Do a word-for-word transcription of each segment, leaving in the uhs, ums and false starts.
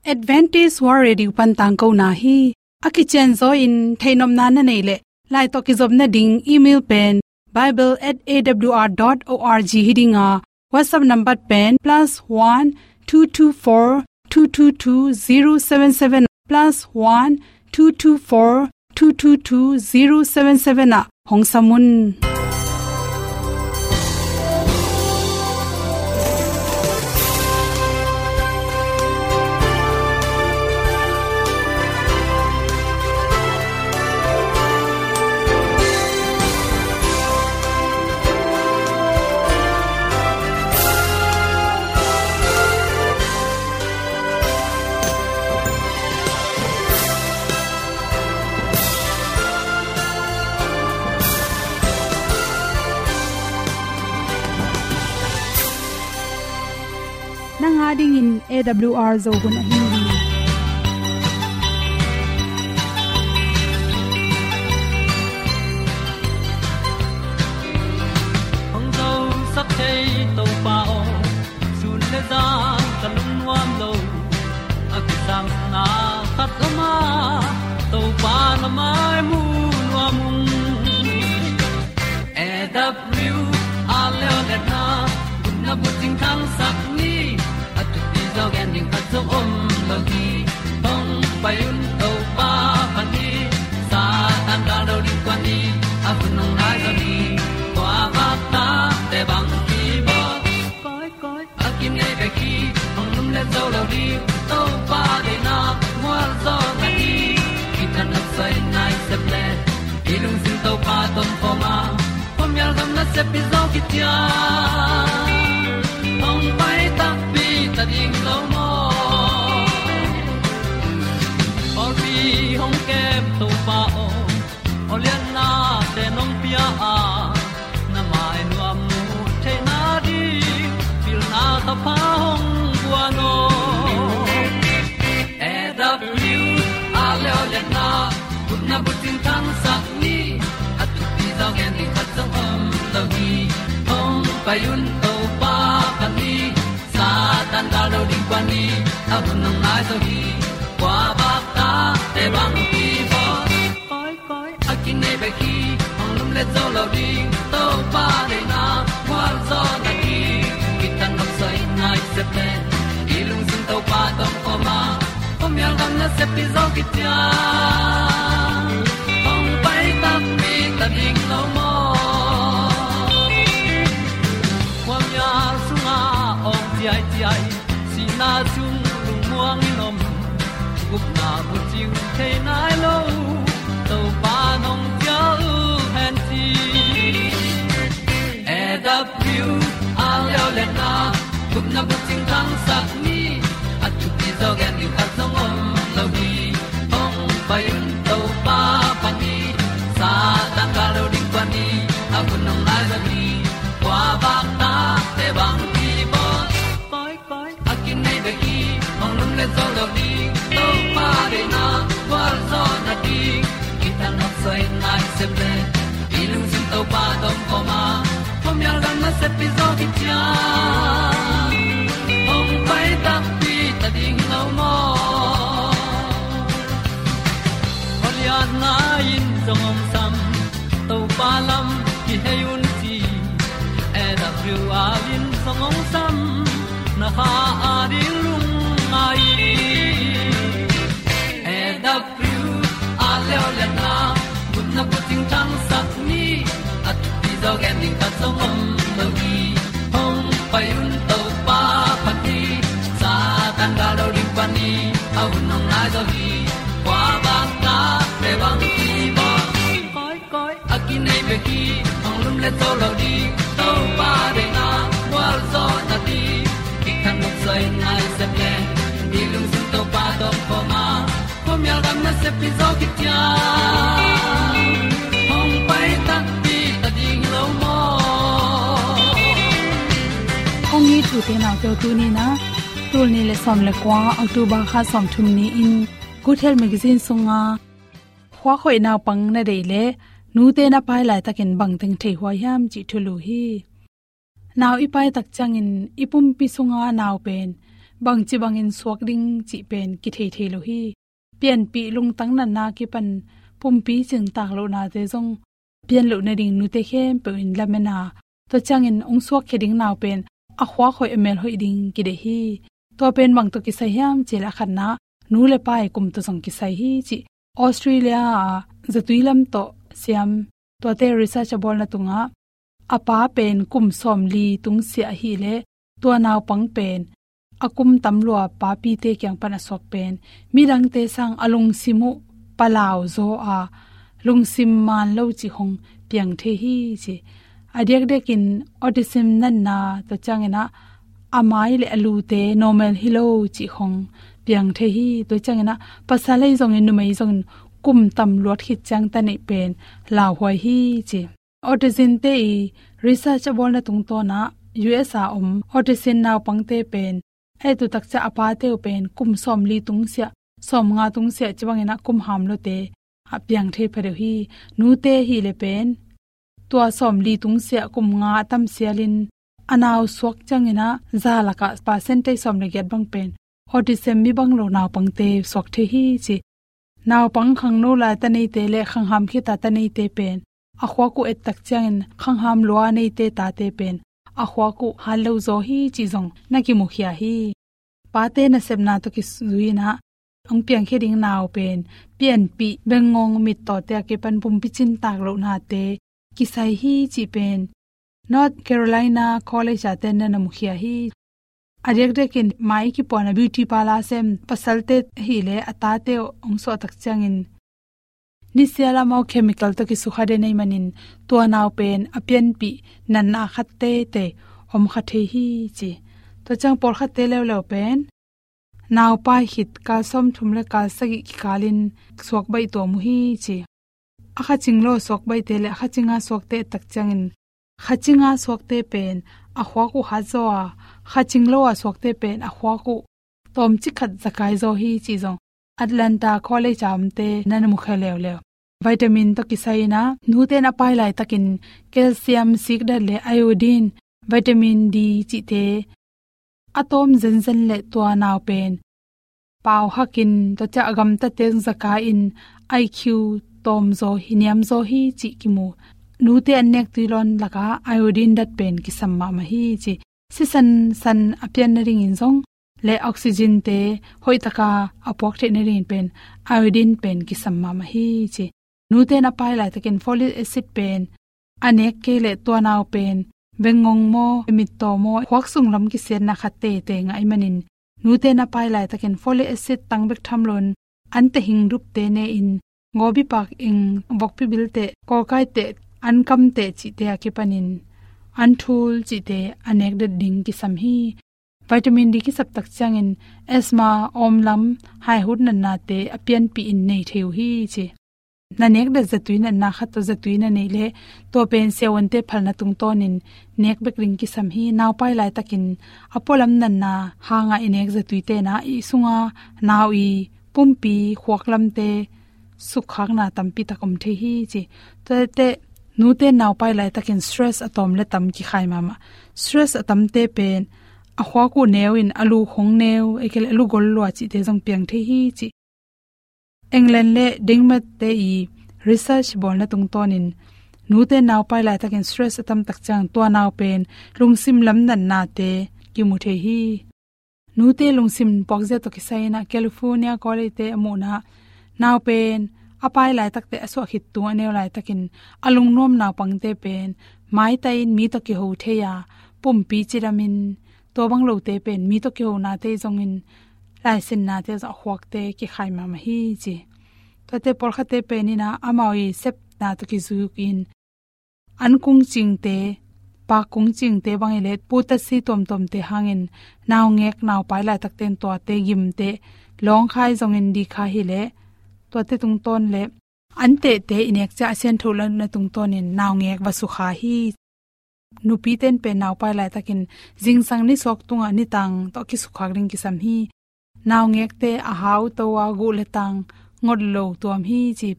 Adventist World Radio pan tangkona hi. A kicianzaw in theihnopna na neih leh, lai tawh kizopna ding email pen bible at A W R dot org hi ding a, WhatsApp number pen plus one two two four two two two zero seven seven, plus one two two four two two two zero seven seven ah hong sam un. Nang a dingin A W R Zo hun ahi hi. Hong zosak thei Topa aw, sun le zan ka lungnuam lo. A kisangna khat om a, Topa na mai mu nuam ung. A W R Leo le na, gupna bucing thangsak ni. A thupi zaw gen ding khat zong om lo hi. Hong pai un Topa pan hi. Satan gal lo ding kuan ni. A hun hong nai zaw ni. Tua vak ta te bang ki bawl. Koi, koi, a kinei bek hi, hong lum le zo lo ding, Topa deihna, mual zaw na hi, kithat nopsai nai sep le, i lungsim Topa tawh om khawm a, khuamial gam nasep pi zaw kician, hong pai takpi ta ding lo maw. Pawlpi hong kem Topa aw, aw liannate nong pia a, na mai nuam mu theihna ding, pilna thapha hong guan aw. A W R Leo le na, gupna bucing thangsak ni, a thupi zaw gen ding khat zong om lo hi. Hong pai un Topa pan hi, Satan gal lo ding kuan ni, a hun hong nai zaw hi. Kua vak ta te bang ki bawl. Koi, koi, a kinei bek hi, hong lum le zo lo ding, Topa deihna, mual zaw na ding, kithat nopsai nai sep le, i lungsim Topa tawh om khawm a, khuamial gam nasep pi zaw kician, hong pai takpi ta ding lo maw. Khuamial sungah awng ciaiciai, sihna sung lungmuang in om, gupna bucing thei nai lo, Topa nong cial hen ci. A W R Leo le na, gupna bucing thangsak ni, a thupi zaw gen ding khat zong om lo hi. Hong pai un Topa pan hi, Satan gal lo ding kuan ni, a hun hong nai zaw hi. Kua vak ta te bang ki bawl. Koi, koi, a kinei bek hi, hong lum le zo lo ding, Topa deihna, gualzawhna ding, kithat nopsai nai sep le, i lungsim Topa tawh om khawm a, khuamial gam nasep pi zaw kician, hong pai takpi ta ding lo maw. Khualiatna in zong hong sam, Topa lam kihei un ci, A W R in zong hong sam, na kha a ding lungngai. A W R Leo le na, gupna bucing thangsak ni, a thupi zaw gen ding khat zong om lo hi. Hong pai un Topa pan hi, Satan gal lo ding pan hi, a hun hong nai zaw hi. Kua vak ta te bang ki bawl. Koi, koi, a kinei bek hi, hong lum le zo lo ding, Topa deihna, gualzawhna ding, kithat nopsai nai sep le, i lungsim Topa tawh om khawm a, khuamial gam nasep pi zaw kician, hong pai takpi ta ding lo maw. Kong it u te nau te, tuni-in ah, tul nih le sawm le kua, October kha sawmthum ni-in, Good Health Magazine sunga, khua hoih naupang na deih leh, nute na pai laitakin bangteng thei huai hiam cih thulu hi. Nau i pai tak ciangin i pumpi sunga nau pen bangci bangin suak ding cih pen kithei thei lo hi. Pianpih lungtang natna kipan pumpi cintak lohnate zong pian loh nading nute khempeuh in lamen a, tua ciangin hong suakkhia ding nau pen a khuak hoih a mel hoih ding kideih hi. Tua pen bang tawh kisai hiam cih leh a khatna, nu le pa i kum tawh zong kisai hi cih Australia a zatui lam tawh siam, tuate research a bawlna tungah a pa pen kum sawmli tungsiah ahih leh tua naupang pen a kum tam lua papite kiang pan a suak pen midangte sang a lungsim uh palau zaw a, lungsim man lo cih hong piang thei hi ci. A diakdiakin autism natna, tua ciangin ah a mai le a lute normal hi lo cih hong piang thei hi. Tua ciangin ah pasal ahi zongin numei zongin kum tam luat khit ciang ta neih pen lauhuai hi ci. Autism te i research a bawlna tungtawn ah U S a om autism naupangte pen a et uh tak ciang a pate uh pen kum sawmli tungsiah, sawmnga tungsiah ci bangin ah kum ham lote a piang thei phadeuh hi. Nute ahih leh pen tua sawmli tungsiah kum nga a tam sialin a nau suak ciangin ah za lakah percentage sawm le giat bang pen autism mi bang lo naupangte suak thei hi ci. Naupang khangno lai ta neite le khangham khit a ta neite pen a khuak uh et tak ciangin khangham lua neite tate pen a khuak uh hat lo zaw hi cih zong na kimukhia hi. Pate nasepna tawh kizui in ah hong piangkhia ding nau pen pianpih, bengngong, mittaw te a kipan pumpi cintak lohnate kisai hi cih pen North Carolina College a ten na na mukhia hi. A diakdiakin mai kipuahna beauty parlour sem pasalte ahih leh a tate uh hong suah tak ciangin nisial amau chemical tawh kisukha den ahih manin tua nau pen a pianpih natna khat teitei om kha thei hi ci. Tua ciang pawlkhatte leuleu pen naupai khit kal sawmthum le kal sagih kikalin suak baih tuam uh hi ci. A kha cing lo suak baihte le a kha cinga suakte tak ciangin kha cinga suakte pen a khuak uh hat zaw a, kha cing lo a suakte pen a khuak uh tawmcik khat zakai zaw hi cih zong Atlanta College a omte na na mukhia leuleu. Vitamin tawh kisai in ah nute in a pai laitakin calcium sikdat le iodine, vitamin D cihte a tawm zenzen le tua nau pen pau hakin, tua ciang a gamtate zakai in I Q tawm zaw hi, niam zaw hi cih kimu. Nute an nek tui lawn lakah iodine dat pen kisam mahmah hi ci. Sisan san a pian nadingin zong le oxygen te hoihtaka a puak theih nadingin pen iodine pen kisam mahmah hi ci. Nute in a pai laitakin folic acid pen a nek kei leh tua nau pen bengngong maw, mittaw maw, khuak sunglam kisiatna khat teitei ngah ahih manin nute in a pai laitakin folic acid tang bek tham loin an tehing dupte ne in, gawbipak ing, vokpi bilte, kawlkaite, an kamte cihte a kipanin an thul cihte a nek det ding kisam hi. Vitamin D kisap tak ciangin asthma, awmlam, haihut natnate a pianpih in nei thei uh hi ci. Na nek det zatui natna khat tawh zatui na neih leh tua pen siavuante phalna tungtawnin nek bek ding kisam hi. Naupai laitakin a pualam natna hanga i nek zatuite in ah i sunga nau i pumpi khuaklamte sukkhakna tampi tak om thei hi ci. Tuate nute naupai laitakin stress a tawm le tam kikhai mahmah. Stress a tamte pen a khuak uh neu in a lu khong neu, ei kei leh a lu gol lua cihte zong piang thei hi ci. England le Denmark te i research bawlna tungtawnin nute naupai laitakin stress a tam tak ciang tua nau pen lungsim lam natnate kimu thei hi. Nute lungsim puakzia tawh kisai in ah California College te a muhna nau pen a pai laitakte a suah khit tung a neu laitakin a lungnuam naupangte pen maitai in mi tawh kiho thei a, pumpi cidamin, tua bang lote pen mi tawh kihonate zongin laisinnate zong a khuakte kikhai mahmah hi ci. Tuate pawlkhatte pen in ah amau i sepna tawh kizukin an kungcingte, pak kungcingte bang i let putatsi tuamtuamte hangin naungek naupai laitakte in tuate gimte lawngkhai zongin dikha hi leh tuate tungtawn le an tehte i nek ciang a siantho lohna tungtawnin naungek va sukha hi. Nupite in pen naupai laitakin zingsang nisuak tungah nitang tawh kisukhak ding kisam hi. Naungekte a hau to a guh le tang ngot lo tuam hi ci.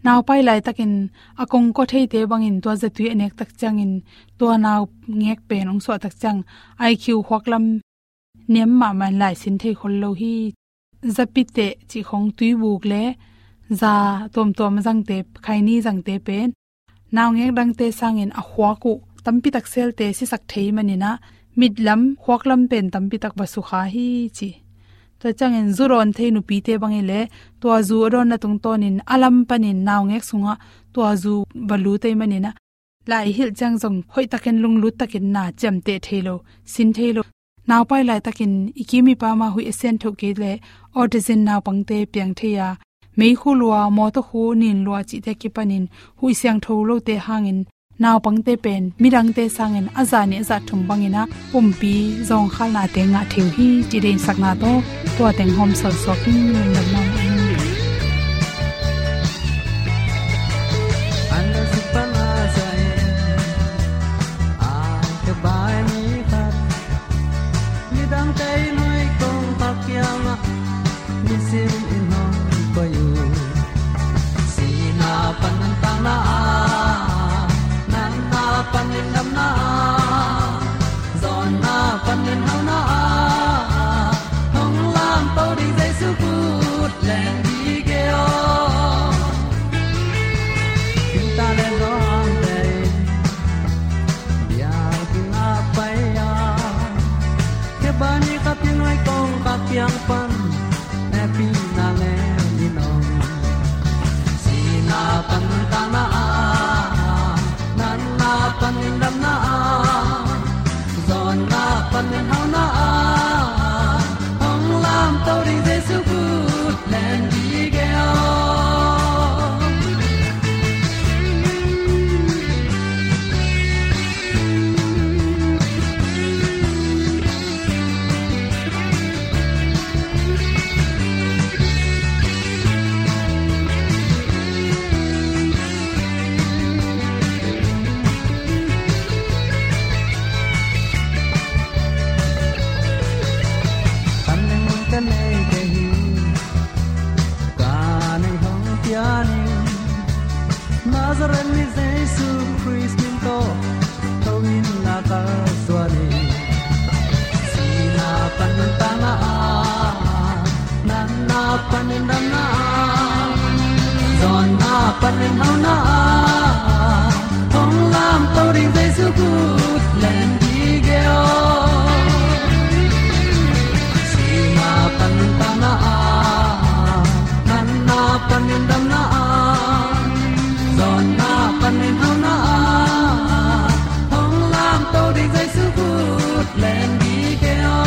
Naupai laitakin a kongkaw theite bangin tua zatui a nek tak ciangin tua naungek pen hong suah tak ciang I Q khuaklam niam mahmah in lai sin thei khol lo hi. Zapi teh cih khong tuibuk le za tuamtuam zangte, khaini zangte pen naungek dangte sangin a khuak uh tampi tak selte sisak thei manin ah, mitlam khuaklam pen tampi tak va sukha hi ci. Tua ciangin zu dawn thei nupite bang i leh tua zu a dawnna tungtawnin a lam panin naungek sungah tua zu va lut ei manin ah, lai hilh ciang zong hoih takin lunglut takin na ciamteh thei lo, sin thei lo. Naupai laitakin i kim i pam a huih a siangtho kei leh autism naupangte piang thei a, meikhu lua, mawtaw khu nin lua cihte kipanin huih siangtho lote hangin naupangte pen midangte sangin a zah nih a zah thum bangin ah pumpi zawngkhalnate ngah thei uh hi ci deinsakna tawh tua teng hawm sawlsuak in lungdam mahmah hi. An a suk pan a sa in, a ka bai ni khat, midangte i nuai kong kha kiangah nisim in hong koih uh. Sihna pan nuntakna ah, natna pan lungdamna ah, zawnna pan ginhauna ah, hong lamto ding Jesu kut leng dike aw. Tingtang le zawngte in biakinn ah pai a, kebani ka pi nuai kong ka kiang pan, hehpihna ngen in om. Sihna pan nuntakna ah, natna pan lungdamna ah, zawnna pan ginhauna ah, hong lamto ding Jesu kut leng dike aw. Kan leng ka nei kei hi, ka nei hong pian in, Nazareth mi Jesu Khrist min tawh tho in na ka suan hi. Sihna pan nuntakna ah, natna pan lungdamna ah, zawnna pan ginhauna ah, hong lamto ding Jesu kut leng dike aw. Sihna pan nuntakna ah, natna pan lungdamna ah, zawnna pan ginhauna ah, hong lamto ding Jesu kut leng dike aw.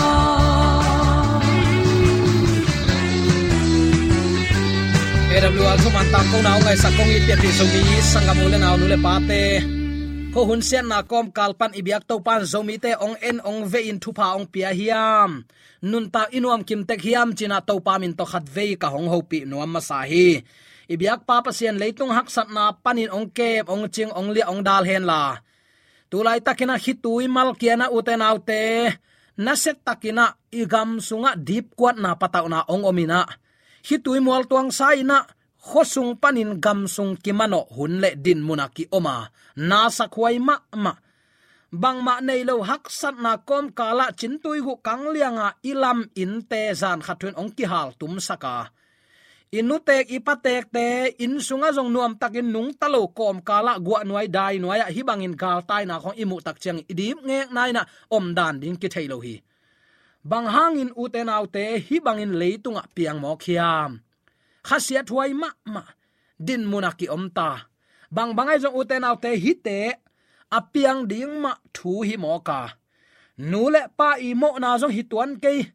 A W R thuman tangkona hong ngaihsak kong it pianpih Zomi sanggam u le nau, nu le pate, khuahun siatna kawmkal pan i biak Topa'n Zomite hong en hong vehin thupha hong pia hiam, nuntak i nuam kim tek hiam ci-in ah Topa min tawh khatvei ka hong hopih nuam masa hi. I biakpa Pasian leitung haksatna panin hong kem, hong cing, hong liah, hong dal henla, tu laitakin ah khitui malkiatna, ute naute, nasiatakin ah i gam sungah dipkuatna patauhna hong om in ah, khitui mualtuangsa in ah khuasung panin gamsung kimanawh hun le dinmun ah ki-om a, nasakhuai mahmah. Bangmah nei lo haksatna kawmkal ah cintui guh kangliang a i lam innte zan khat thu-in hong kihaltumsak a, i nutek i patekte inn sungah zong nuamtakin nungta lo kawmkal ah guahnuai dainuai ah hih bangin galtaina khawng i muh tak ciangin i dipngekna in ah omdan ding kithei lo hi. Bang hangin, ute naute, hih bangin leitungah piang mawk hiam? Khasiathuai mahmah dinmun ah ki-om ta. Bangbang ahi zong, ute naute, hihte a piang ding mah thu hi mawk a, nu le pa i mawhna zong hi tuan kei.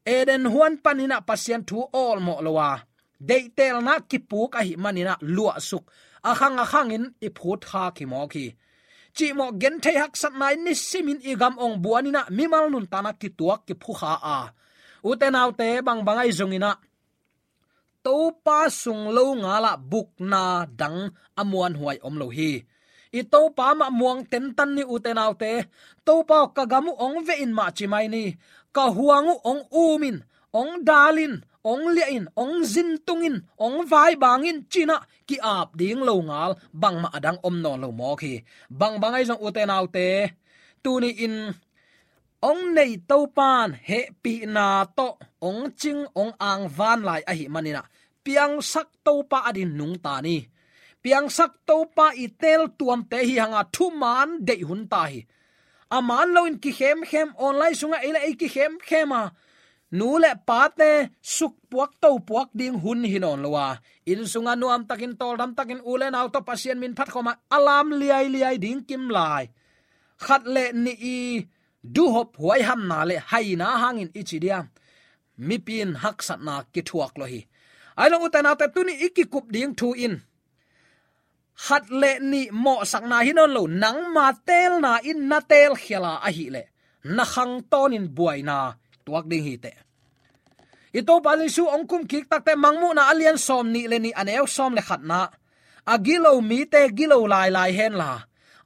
Eden huan panin ah Pasian thu awlmawh lo a, deihtelna kipuk ahih manin ah luahsuk, a khang a khangin i phutkhak hi mawk hi. Cihmawh genthei haksatna in nisimin i gam ong buan in ah mimal nuntakna kituak kiphukha a, ute naute, bangbang ahi zongin ah Topa sung lo ngalah bukna dang a muanhuai om lo hi. I Topa mah muang tentan ni, ute naute. Topa aw, ka gam uh ong veh in mah ci mai ni. Ka huang uh ong um in, ong dal in, ong liah in, ong zintung in, ong vaibang in ci-in ah ki-ap ding lo ngal bangmah a dang om nawn lo mawk hi. Bangbang ahi zong, ute naute, tuni-in ong nei Topan hehpihna tawh ong cing ong angvan lai ahih manin ah, piangsak Topa adingin nungta ni. Piangsak Topa i teeltuamte hi hang a, thuman deih hun ta hi. A man loin kikhemkhem, online sungah ei le ei kikhemkhem a, nu le pate sukpuak topuak ding hun hi nawn lo a, inn sungah nuamtakin, tawldamtakin, u le nau tawh Pasian min phat khawm a, a lam liailiai ding kim lai. Khat le nih i duhop huaihamna le haina hangin i ci diam, mipi in haksatna kithuak lo hi. Ahi zong ute naute, tuni i kikup ding thu in, khat le nih mawhsakna hi nawn lo, nangma teelna in na teel khial a ahih leh, na khang tawnin buaina tuak ding hi teh. I Topa Jesu ong kum kik tak teh, Mangmuhna a lian sawm nih le nih, a neu sawm le khatna, a gilo mite gilo lailai hen la,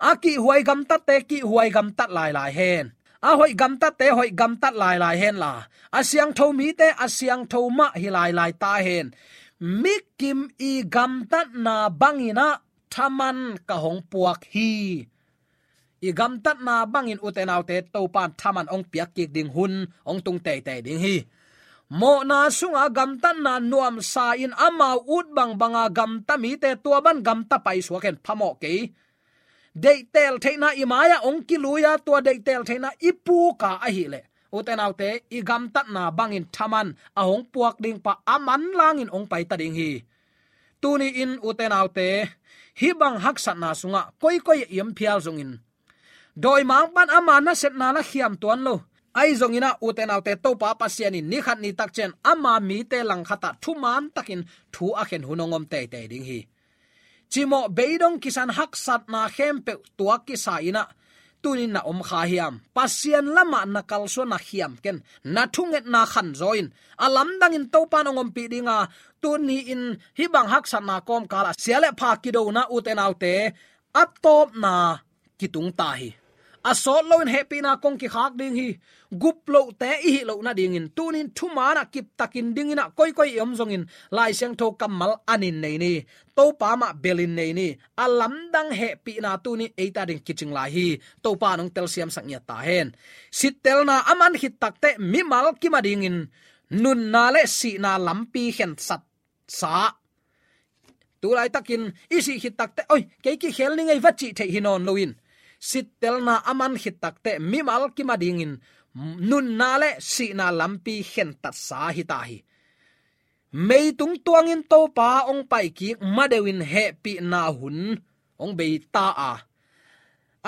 a kihhuai gamtatte kihhuai gamtat lailai hen. A hoih gamtatte hoih gamtat lailai hen la, a siangtho mite a siangtho mah hi lailai ta hen. Mikim i gamtatna bangin ah thaman ka hong puak hi. I gamtatna bangin ute naute, Topan thaman ong piak kik ding hun ong tung teitei ding hi. Mawhna sunga gamtatna nuamsa in amau ut bangbanga gamta mite tua bang gamta paisuak hen, phamawh kei. Deihteel theihna i mai-ah ong kilui a, tua deihteel theihna i puk a ahih leh, ute naute, i gamtatna bangin thaman a hong puak ding pa a manlangin ong paita ding hi. Tuni in ute naute, hih bang haksatna sungah koikoi i om phial zongin, dawimangpa'n ama nasepna na khiam tuan lo. Ahi zongin ah ute naute, Topa Pasian in ni khat ni tak ciang ama mite langkhat ah thuman takin thu a khen hun ong om teitei ding hi. Cimawh beidong kisan haksatna khempeuh tua kisa in ah tuni in na om kha hiam? Pasian lamah na kalsuan, na khiam ken, na thungetna khanzaw in, a lamdangin Topan ong ompih ding a, tuni in hih bang haksatna kawmkal ah sia le pha kidona, ute naute, a tawpna kitung ta hi. A sawt loin hehpihna kong kikhak ding hi. Gup lohte i hih loh nadingin tuni in thuman ah kiptakin dingin ah, koikoi i om zongin Lai Siangtho kammal anin nei ni. Topa mah belin nei ni. A lamdang hehpihna tuni in eite ading kicing lai hi. Topa in ong telsiamsak ngiat ta hen. Sittelna a man khit tak teh mimal kim adingin nunna le sihna lampi khensat sa. Tu laitakin i sih khit tak teh, oi, kei kikhel ning ei, va cih theih hi nawn loin, sittelna a man khit tak teh mimal kim adingin nunna le sihna lampi khentat sa hi ta hi. Meitung tuangin Topa ong pai kik ma deuhin hehpihna hun ong bei ta a,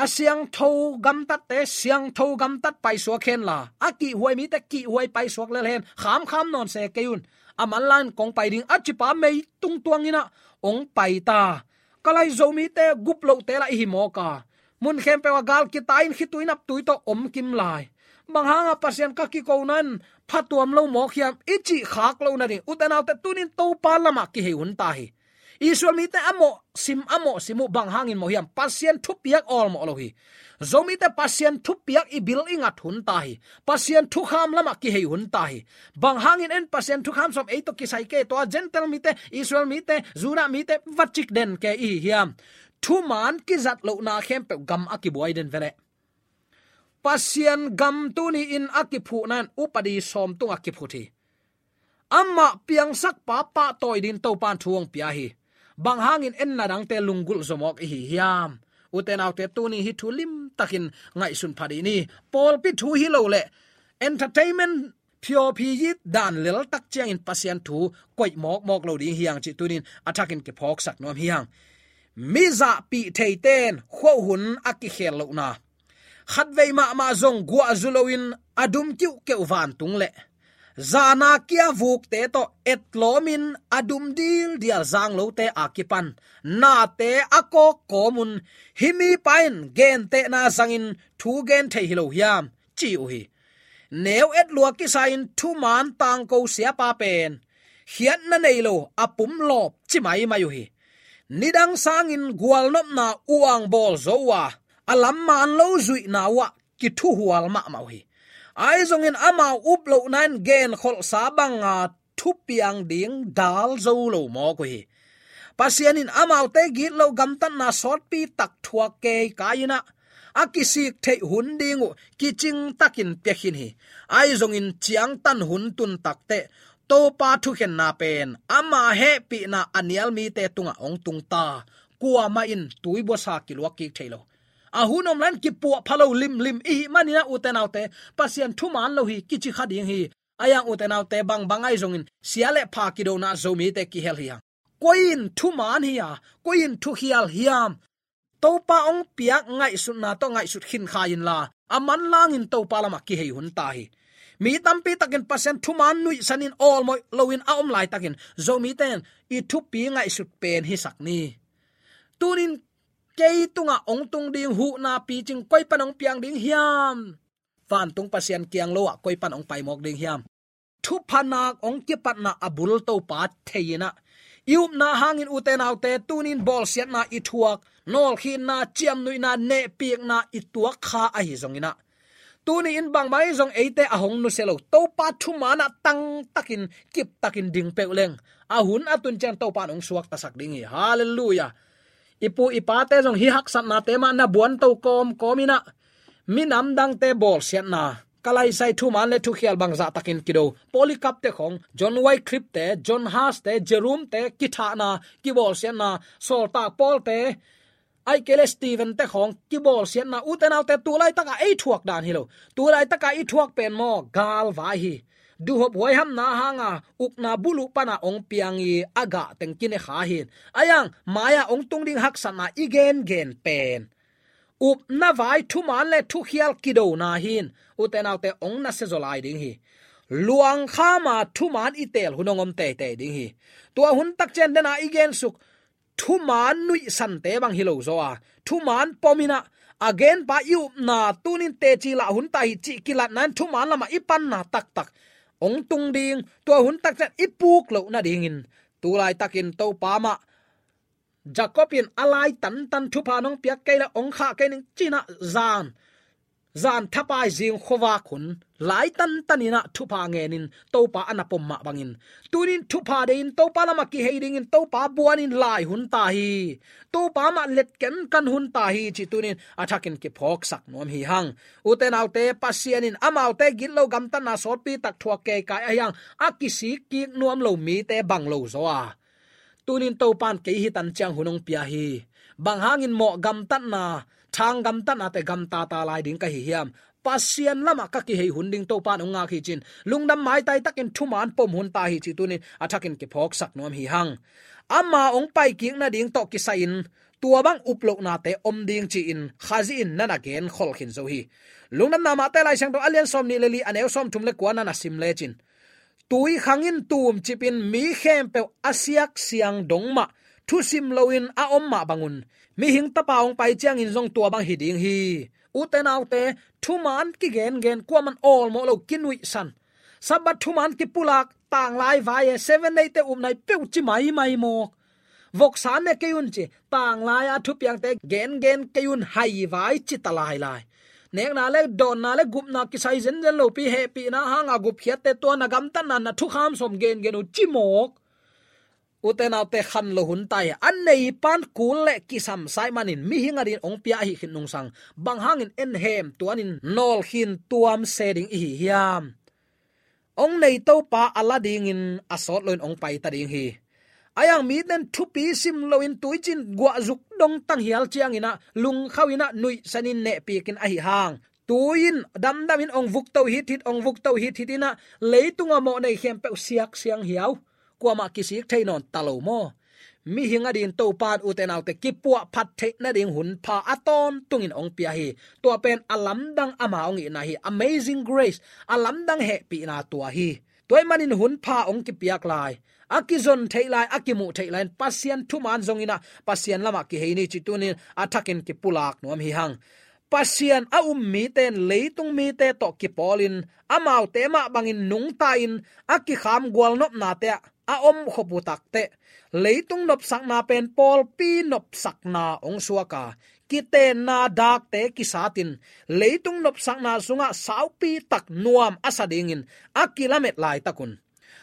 a siangtho gamtatte siangtho gamtat paisuak hen la, a kihhuai mite kihhuai paisuak lel hen, khamkham nawn se kei un, a manlangin kong pai ding, a cipa meitung tuangin ah ong pai ta. Ka lai Zomite gup lohte lah i hi mawk a, mun khempeuh ah gal kitai in khitui naptui tawh om kim lai. Bang hanga Pasian ka kikona in phatuam lo mawk hiam i cih khak loh nading, ute naute, tuni in Topa lamah kihei hun ta hi. Israel mite a mawh sim, a mawh sim uh bang hangin mawh hiam? Pasian thupiak awlmawh lo hi. Zomite Pasian thupiak i bil i ngat hun ta hi. Pasian thukham lamah kihei hun ta hi. Bang hangin en Pasian thukham sawm ei tawh kisai kei, tua Gentile mite, Israel mite, Judah mite va cik den kei i hi hiam? Thuman kizat lohna khempeuh gam a kibuai den ve leh. Pasian gam tuni in a kiphuhna in upadi sawm tungah kiphut hi. Amah piangsak pa pahtawi dingin Topan thu ong pia hi. Bang hangin en na dangte lunggulh zaw mawk i hi hiam? Ute naute, tuni hih thu limtakin ngaihsun pha dih ni. Pawlpi thu hi lo leh entertainment phiawphi it dan lel tak ciangin Pasian thu koih mawkmawk lo ding hi hang cih tuni in a thakin kiphawksak nuam hi hang. Mi zahpih theite in khuahun a kikhel lohna, khatvei mahmah zong guah zu loin a dum kiuhkeuh vantung leh zana kia vukte tawh etlawmin a dum dildial zang lote a kipan nate a kawk kawmun, hih mipa in gentehna zangin thu gen thei hi lo hiam, ci uh hi. Neu et lua kisa-in thuman tangko siapa pen khiatna nei lo a pumlawp ci maimai uh hi. Nidang sangin gualnopna uangbawl zo uh a, a lam maan lo zuihna uhah kithuhual mahmah uh hi. Ahi zongin amau uplohna in genkholhsa banga thupiang ding dal zo lo mawk uh hi. Pasian in amaute gitloh gamtatna sawtpi tak thuak keikai in ah, a kisik theih hun ding uh kicing takin piakhin hi. Ahi zongin ciangtan hun tun takteh Topa thukhenna pen ama hehpihna a nial mite tungah hong tung ta. Kuamah in tuibuasa kiluak kik thei lo. A hun om lai-in kipuah pha lo limlim i hih manin ah, ute naute, Pasian thuman lo hi kici kha ding hi. Ahi hang, ute naute, bangbang ahi zongin sia le pha kidona Zomite kihel hi hang. Koi in thuman hi a, koi in thukhial hiam? Topa hong piak ngaihsutna tawh ngaihsut khin kha inla, a manlangin Topa lamah kihei hun ta hi. Mi tampi takin Pasian thuman nuihsanin awlmawh loin a om laitakin Zomite in i thupi ngaihsut pen hisak ni. Tunin kei tungah hong tung ding huhna picing koi pan hong piang ding hiam? Vantung Pasian kiang lo ah koi pan hong pai mawk ding hiam? Thupha nak hong kipatna a bul Topa thei-in ah, i upna hangin, ute naute, tunin bawlsiatna i thuak, nawlkhinna, ciamnuihna, nehpikna i tuak kha ahi zongin ah, tuni in bangmah ahi zong eite a hong nusia lo, Topa thuman ah tangtakin, kiptakin ding peuh leng, a hun a tun ciang Topa in hong suaktasak ding hi. Halleluiah. I pu i pate zong hih haksatnate mah na buanto kawmkawm in ah, minam dangte bawlsiatna, Kalaisai thuman le thukhial bangzah takin kido, Polycarp te khawng, John Wycliffe te, John Huss te, Jerome te kithahna, kibawlsiatna, Sawltak Paul te, ahih kei leh Stephen te khawng kibawlsiatna, ute naute, tu laitakah ei thuak dan hi lo. Tu laitakah i thuak pen maw, galvai hi. Duhhop huaihamna hanga ukna buluh pana hong piang i a gah teng kine kha hi. Ahi hang, mai-ah hong tung ding haksatna i gengen pen, upna vai thuman le thukhial kidona hi. Ute naute, hong nasia zaw lai ding hi. Luangkhama thuman i teel hun hong om teitei ding hi. Tua hun takciang dena i gensuk, thuman nuihsante bang hi lo zaw a, thuman pom in ah, a genpa i upna tunin teci lah hun ta hi cih kilatna in thuman lamah i panna taktak hong tung ding, tua hun takciang i puk loh nadingin, tu laitakin Topa mah, Jacob in a lai tantan thupha nong piak kei leh hong khah kei ning ci-in ah zan, zan thapai zing khuavak hun lai tantan in ah thupha ngenin Topa a na pom mah bangin, tunin thupha deihin Topa lamah kihei dingin Topa buanin lai hun ta hi. Topa mah let kenkan hun ta hi cih tunin a thakin kiphawksak nuam hi hang. Ute naute, Pasian in amaute gitlo gamtatna sawtpi tak thuak keikai ahi hang, a kisik kik nuam lo mite bang lo zaw a, tunin Topa in kei hi tan ciang hun hong pia hi. Bang hangin mawh gamtatna, thang gamtatnate gamtata lai ding ka hi hiam? Pasian lamah ka kihei hun ding Topa in hong ngak hi ci-in lungdam maitai takin thuman pom hun ta hi cih tunin a thakin kiphawksak nuam hi hang. Ama hong paikik nading tawh kisai-in tua bang uplohnate om ding ci-in Khazih in na na genkhol khin zo hi. Lungdamna Mate Lai Siangtho a lian sawmnih le li, a neu sawmthum le kua na na sim lecin, tui khang in tumcip in mi khempeuh a siaksiang dong mah, thusim loin a om mah bangun, mihing tapa hong pai ciangin zong tua bang hi ding hi. Ute naute, thuman kigengen, kuaman awlmawh lo, kinuihsan. Sabbath thuman kipulak, tanglai vai e, Seven Day te upna hi peuh ci maimai mawk. Voksa ne kei un ci, tanglai a thupiangte gengen kei un, hai vai ci ta lailai. Nekna le dawnna le gupna kisai zenzen lopi, hehpihna hanga gupkhiatte, tua na gamtatna, na thukham sawm gengen uh ci mawk. Ute naute, khan lo hun ta hi. A neipan kul le kisam sa ih manin mihing adingin hong pia ahi khit nungsang, bang hangin en hem tuanin nawlkhin tuam se ding i hi hiam? Hong nei Topa a la dingin a sawt loin hong pai ta ding hi. Ahi hang mite in thupi sim loin tuicin guahzuk dong tanghial ciangin ah, lungkhauhin ah, nuihsanin nehpikin ahi hang, tui in damdamin hong vukto hithit, hong vukto hithit in ah, leitung a mawh nei khempeuh siaksiang hiau. Kuamah kisik thei nawn ta lo maw? Mihing adingin Topa in, ute naute, kipuahphat theih nading hun pha a tawntungin hong pia hi. Tua pen a lamdang ama hong itna hi. Amazing grace, a lamdang hehpihna tua hi. Tua ih manin hun pha hong kipiak lai, a kizon theih lai, a kimuh theih lai-in Pasian thuman zongin ah, Pasian lamah kihei ni cih tunin a thakin kipulak nuam hi hang. Pasian a um mite in leitung mite tawh kipawlin, amaute mah bangin nungta-in, a kikham gualnopnate ah a om khop uh takteh, leitung nopsakna pen pawlpi nopsakna hong suak a, kitenna dakte kisatin, leitung nopsakna sungah saupi tak nuam a sa dingin a kilamet laitak un,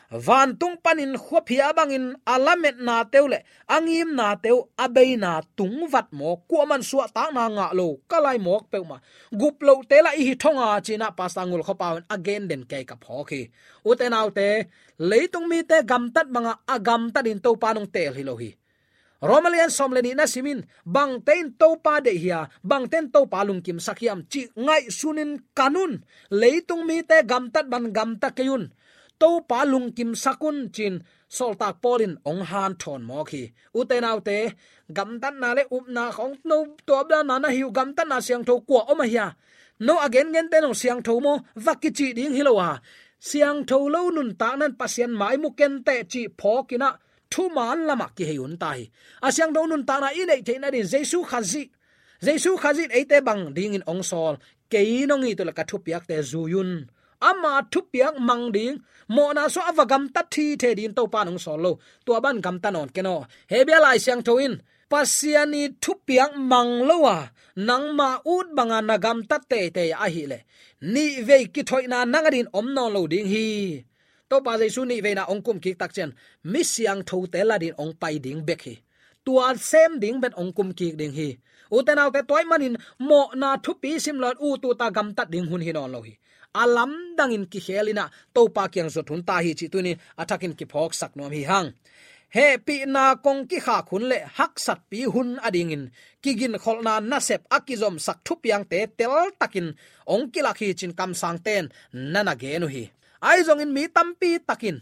Vantung panin khuaphia bangin a lametnate uh le a ngimnate uh a beina tungvat mawk, kuaman suahtakna ngah lo ka lai mawk peuhmah, gup lohte lah i hi thong a, ci-in ah Pastor Ngul Khua Pau in a gen den kei ka phawk hi. Ute naute, leitung mite gamtat bangah a gamtat in Topa nong teel hi lo hi. Roma lian sawm le nih na sim in, bangte in Topa deih hia, bangte in Topa lungkimsak hiam cih ngaihsunin kan un. Leitung mite gamtat bang gamta kei un. Topa lungkimsak un, ci-in Sawltak Paul in hong hanthawn mawk hi. Ute naute, gamtatna le upna khawng no tuapdanna na hi uh, gamtatna siangtho kua om a hia? No a gengente nong siangtho maw, va kicih ding hi lo a, siangtho lo nuntakna in Pasian mai mu kenteh cih phawkin ah thuman lamah kihei hun ta hi. A siangtho nuntakna i neih theih nadin Jesu Khazih, Jesu Khazih in eite bang dingin hong sawl? Kei nong it uh le ka thupiakte zui un. Ama thupiak mang ding, mawhna suah a va gamtat thithe dingin Topa in hong sawl lo. Tua bang gamta nawn ken aw. Hebru Lai Siangtho in, Pasian i thupiak mang lo a nangma ut banga na gamtat teitei ahih leh, nihvei kithoihna nang adin om nawn lo ding hi. Topa Jesu nihveina hong kum kik tak ciang mi siangthote la din hong pai ding bek hi. Tua sem ding bek hong kum kik ding hi. Ute naute, tua ahih manin mawhna thupi sim lo-in ut ut a gamtat ding hun hi nawn lo hi. A lamdangin kikhel in ah Topa kiang zot hun ta hi cih tuni-in a thakin kiphawksak nuam hi hang. Hehpihna kong kikhak hun le haksatpi hun adingin kiginkholhna nasep a kizomsak thupiangte teltakin hong kilak hi, ci-in kamsangte in na na gen uh hi. Ahi zongin mi tampi takin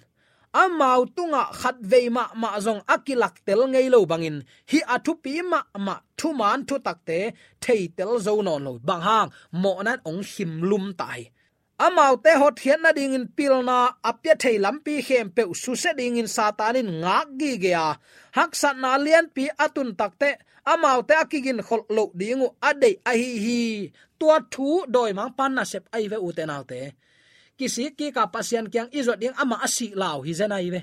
amau tungah khatvei mahmah zong a kilaktel ngei lo bangin, hih a thupi mahmah thuman thutakte theitel zo nawn lo. Bang hang? Mawhna in hong khimlum ta hi. Amaute hotkhiat nadingin pilna a pia thei lampi khempeuh susia dingin Satan in ngak gige a, haksatna lianpi a tun takteh amaute a kiginkholh loh ding uh a deih ahi hi. Tua thu dawimangpa nasep ahi ve, ute naute. Kisik kik a Pasian kiang i zuat ding, amah a sih lau hi zen ahi ve.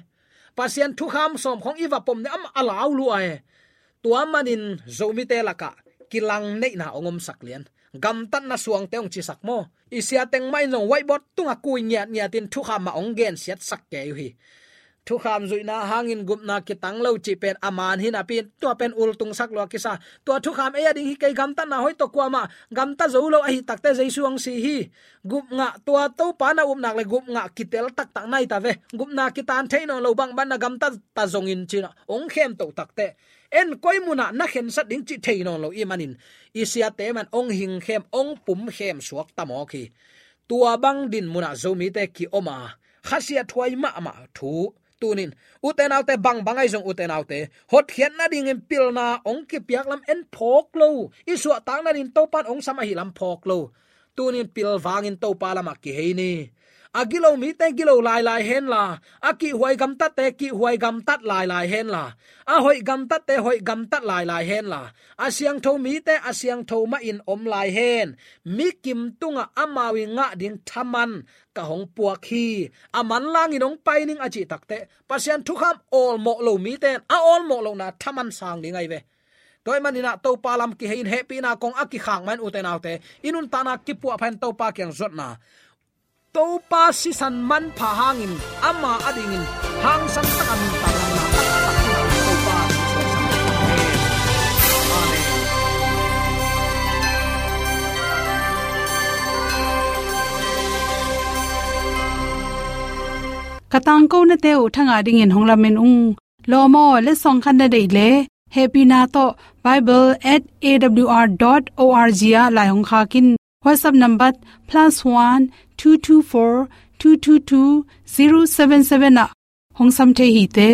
Pasian thukham sawm khawng i va pom ding, amah a lau lua e. Tua manin Zomite lakah kilang neihna hong omsak lian. Gamtatna suangte hong cisak maw. I sia teng mah in zong whiteboard tungah kui ngiatngiatin thukham mah hong gensiatsak kei uh hi. Thukham zuihna hangin gupna kitang lo cih pen a man hi napi-in tua pen ultungsak lua kisa. Tua thukham ei a ding hi kei, gamtatna hoih tawh kuamah gamta zo lo ahih takteh Jesu hong si hi. Gupngah, tua Topa na upna le gupngah kitel taktak nai ta ve. Gupna kitan thei nawn lo, bangbang na gamta ta zongin, ci-in ah hong khemtoh takteh, en koi munah na khensat ding cih thei nawn lo ahih manin i siate mah in hong hingkhem, hong pumkhem suak ta mawk hi. Tua bang din munah Zomite kiom a, khasiathuai mahmah thu. Tuni-in ute naute, bangbang ahi zong ute naute, hotkhiat nadingin pilna hong kipiak lam en phawk lo. I suahtak nadingin Topa in hong sam ahih lam phawk lo. Tuni-in pilvangin Topa lamah kihei ni. A gilo mite gilo lailai henla, a kihhuai gamtatte kihhuai gamtat lailai henla, a hoih gamtatte hoih gamtat lailai henla, a siangtho mite a siangtho mahin om lai hen. Mi kim tungah amau i ngah ding thaman ka hong puak hi. A manlangin hong pai ning a cih takteh, Pasian thukham awlmawh lo mite in a awlmawh lohna thaman sang ding ahi ve. Tua ahih manin ah Topa lam kihei in, hehpihna kong a kikhak mah in ute naute, i nuntakna kipuahpha in Topa kiang zuatna, Topa sisan manpha hangin ama adingin hangsan taka nuntak lamna taktak hi hang. Topa Jesu a sang. Amen. Amen. Ka tangkonate uh thangah dingin hong lamen ung. Lawm aw, letsong khat na deih leh, hehpihna tawh bible at A W R dot O R G ah lai hong khak in. WhatsApp number plus one two two four two two two zero seven seven ah hong sam thei hi te.